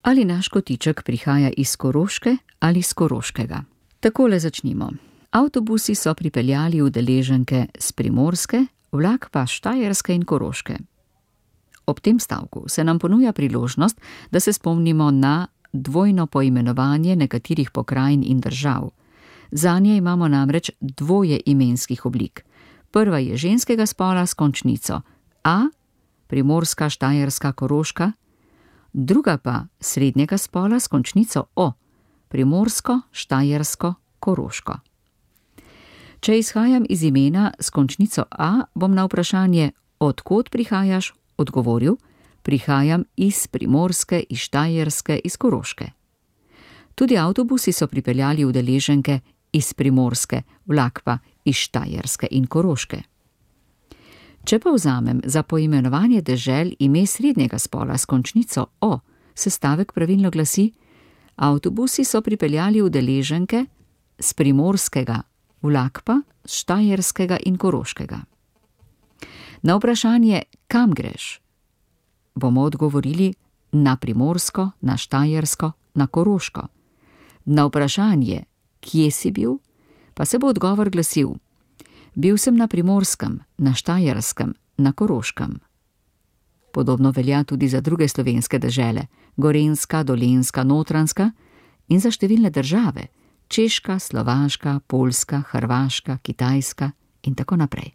Ali naš kotiček prihaja iz Koroške ali iz Koroškega? Takole začnimo. Avtobusi so pripeljali udeleženke s Primorske, vlak pa Štajerske in Koroške. Ob tem stavku se nam ponuja priložnost, da se spomnimo na dvojno poimenovanje nekaterih pokrajin in držav. Zanje imamo namreč dvoje imenskih oblik. Prva je ženskega spola s končnico A, Primorska, Štajerska, Koroška, druga pa srednjega spola s končnico O, Primorsko, Štajersko, Koroško. Če izhajam iz imena s končnico A, bom na vprašanje, od kod prihajaš, odgovoril, prihajam iz Primorske, iz Štajerske, iz Koroške. Tudi avtobusi so pripeljali udeleženke iz Primorske, vlak pa iz Štajerske in Koroške. Če pa vzamem za poimenovanje dežel ime srednjega spola s končnico O, se stavek pravilno glasi: avtobusi so pripeljali udeleženke s Primorskega, vlak pa s Štajerskega in Koroškega. Na vprašanje, kam greš, bomo odgovorili na Primorsko, na Štajersko, na Koroško. Na vprašanje, kje si bil, pa se bo odgovor glasil: bil sem na Primorskem, na Štajerskem, na Koroškem. Podobno velja tudi za druge slovenske dežele, Gorenjska, Dolenjska, Notranjska, in za številne države, Češka, Slovaška, Poljska, Hrvaška, Kitajska in tako naprej.